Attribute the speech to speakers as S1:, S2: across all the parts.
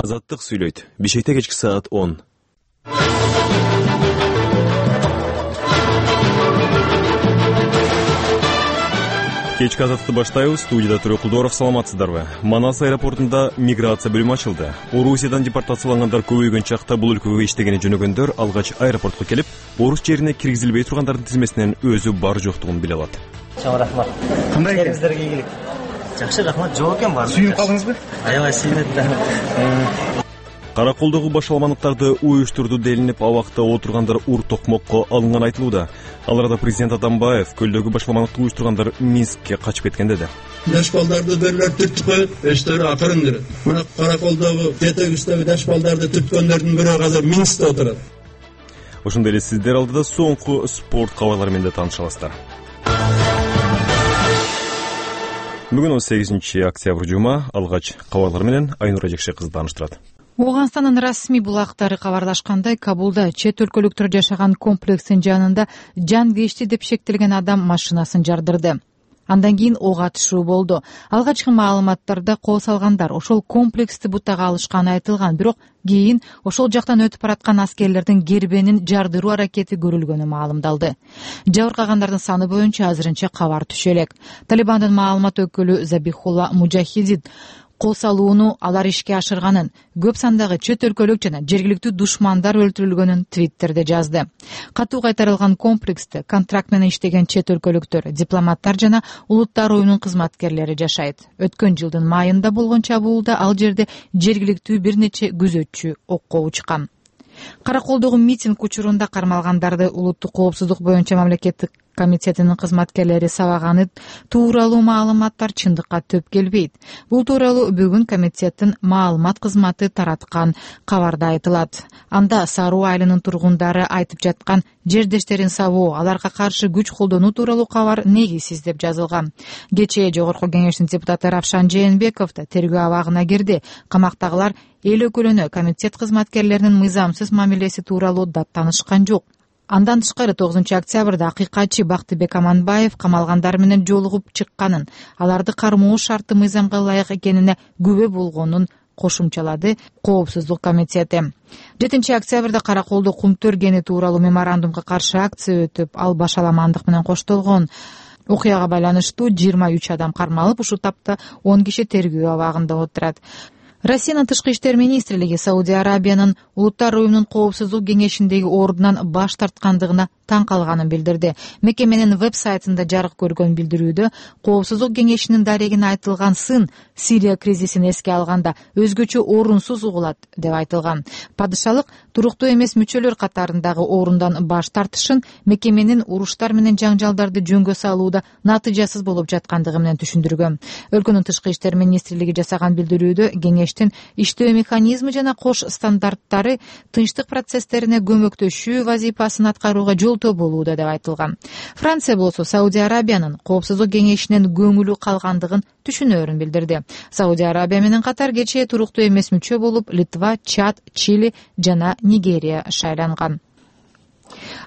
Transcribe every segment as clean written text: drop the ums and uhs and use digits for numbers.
S1: Азаттык сүйлөйт. Бишкекте кечки саат 10. Кечки азатты баштайбыз. Студияда Төрө Кулдоров. Саламатсыздарбы? Манас аэропортунда миграция бөлүмү ачылды. Орусиядан депортациялангандар көбөйгөн чакта бул өлкөгө иштегени жөнөгөндөр алгач аэропортко келип, орус жерине киргизилбей тургандардын тизмесинен өзү бар жоктугун биле алат.
S2: Чоң рахмат.
S3: Кандай экен?
S2: Сиздерге ийгилик. Жакшы, рахмат. Жок экен бар.
S3: Сүйүнүп калдыңызбы?
S2: Аябай сүйүнөт да.
S1: Караколдогу башаламандыктарды уюштурду делинип, абакта отургандар ур токмокко алынганы айтылууда. Аларда президент Атамбаев көлдөгү башаламандыкты уюштургандар Минскке качып кеткен деди.
S4: Даш балдарды берлер түртүп коюп, эштери акырын дер. Мына Караколдогу жетегибиздеги даш балдарды түрткөндөрдүн бирөө азыр Минскте отурат.
S1: Ошондой эле сиздер алдыда соңку спорт кабарлары менен тааныша аласыздар. Бүгүн 18 октябрь жума. Алгач кабарлар менен Айнура Жекше кызы тааныштырат.
S5: Ооганстандын расмий булактары кабарлашкандай, Кабулда чет өлкөлүктөр жашаган комплекстин жанында жан кечти деп шектелген адам машинасын жардырды. Андан кийин ок атышуу болду. Алгачкы маалыматтарда кол салгандар ошол комплексти бутага алышканы айтылган, бирок кийин ошол жактан өтүп бараткан аскерлердин гербенин жардыруу аракети көрүлгөнү маалымдалды. Жабыркагандардын саны боюнча азырынча кабар түшө элек. Талибандын маалымат өкүлү Забихулла Мужахидин кол салууну алар ишке ашырганын, көп сандагы чет өлкөлүк жана жергиликтүү душмандар өлтүрүлгөнүн Твиттерде жазды. Катуу кайтарылган комплексте контракт менен иштеген чет өлкөлүктөр, дипломаттар жана улуттар уюмунун кызматкерлери жашайт. Өткөн жылдын майында болгон чабуулда ал жерде жергиликтүү бир нече күзөтчү окко учкан. Караколдогу митинг учурунда кармалгандарды улуттук коопсуздук боюнча мамлекеттик комитетинин кызматкерлери сабаганы тууралуу маалыматтар чындыкка төп келбейт. Бул тууралуу бүгүн комитеттин маалымат кызматы тараткан кабарда айтылат. Анда Саруу айылынын тургундары айтып жаткан жердештерин сабоо, аларга каршы күч колдонуу тууралуу кабар негизсиз деп жазылган. Кечээ Жогорку Кеңештин депутаты Равшан Жээнбеков да тергөө абагына кирди. Камактагылар эл өкүлүнө комитет кызматкерлеринин мыйзамсыз мамилеси тууралуу даттанышкан жок. Андан тышкары 9 октябрда акыйкатчы Бактыбек Аманбаев камалгандар менен жолугуп чыкканын, аларды кармоо шарты мыйзамга ылайык экенине күбө болгонун кошумчалады Коопсуздук комитети. 7 октябрда Караколдо кум төргени тууралуу меморандумга каршы акция өтүп, ал башаламандык менен коштолгон. Окуяга байланыштуу 23 адам кармалып, ушул тапта 10 киши тергөө абагында отурат. Россиянын тышкы иштер министрлиги Саудия Арабиянын улуттар уюмунун коопсуздук кеңешиндеги ордунан баш тарткандыгына таң калганын билдирди. Мекеменин веб-сайтында жарык көргөн билдирүүдө коопсуздук кеңешинин дарегине айтылган сын Сирия кризисин эске алганда өзгөчө орунсуз угулат деп айтылган. Падышалык туруктуу эмес мүчөлөр катарындагы орундан баш тартышын мекеменин уруштар менен жаңжалдарды жөнгө салууда натыйжасыз болуп жаткандыгы менен түшүндүргөн. Өлкөнүн тышкы иштер министрлиги жасаган билдирүүдө кеңештин иштөө механизми жана кош стандарттары тынчтык процесстерине көмөктөшүү вазифасын аткарууга жолтоо болууда деп айтылган. Франция болсо Саудия Арабиянын коопсуздук кеңешинен көңүлү калгандыгын түшүнөөрүн билдирди. Саудия Арабия менен катар кечээ туруктуу эмес мүчө болуп Литва, Чад, Чили жана Нигерия шайланган.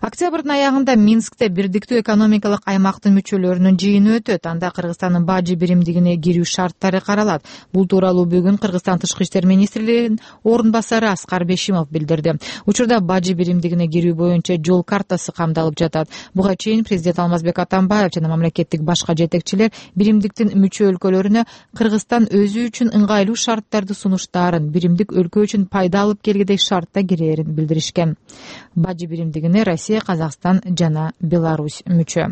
S5: Октябрдын аягында Минскте бирдиктүү экономикалык аймактын мүчөлөрүнүн жыйыны өтөт. Анда Кыргызстандын бажы биримдигине кирүү шарттары каралат. Бул тууралуу бүгүн Кыргызстан тышкы иштер министринин орун басары Аскар Бешимов билдирди. Учурда бажы биримдигине кирүү боюнча жол картасы камдалып жатат. Буга чейин президент Алмазбек Атамбаев жана мамлекеттик башка жетекчилер биримдиктин мүчө өлкөлөрүнө Кыргызстан өзү үчүн ыңгайлуу шарттарды сунуштаарын, биримдик өлкө үчүн пайда алып келгидей шартта кирээрин билдиришкен. Бажы биримдигине Россия, Казакстан жана Беларусь мүчө.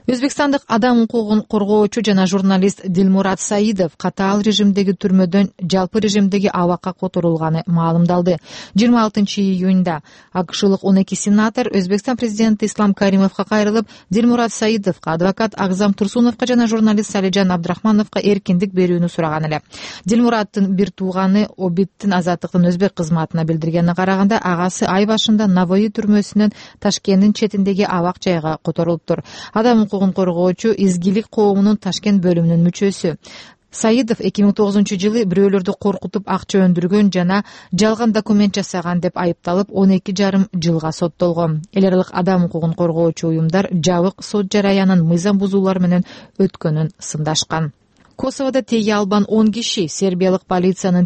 S5: Өзбекстандык адам укугун коргоочу жана журналист Дилмурат Саидов катаал режимдеги түрмөдөн жалпы режимдеги абакка которулганы маалымдалды. 26 июнда АКШлык 12 сенатор Өзбекстан президенти Ислам Каримовго кайрылып, Дилмурат Саидовго, адвокат Агзам Турсуновго жана журналист Салижан Абдрахмановго эркиндик берүүнү сураган эле. Дилмураттын бир тууганы Обиттин азаттыктын өзбек кызматына билдиргенине караганда, агасы ай башында Навои түрмөсүнөн Ташкенттин четиндеги абак жайга которулуптур. Адам укугун коргоочу изгилик коомунун Ташкент бөлүмүнүн мүчөсү. Саидов 2009 жылы бирөөлөрдү коркутуп акча өндүргөн жана жалган документ жасаган деп айыпталып 12,5 жылга соттолгон. Эл аралык адам укугун коргоочу уюмдар жабык сот жараянын мыйзам бузуулар менен өткөнүн сындашкан. Косоводо теге албан 10 киши сербиялык полициянын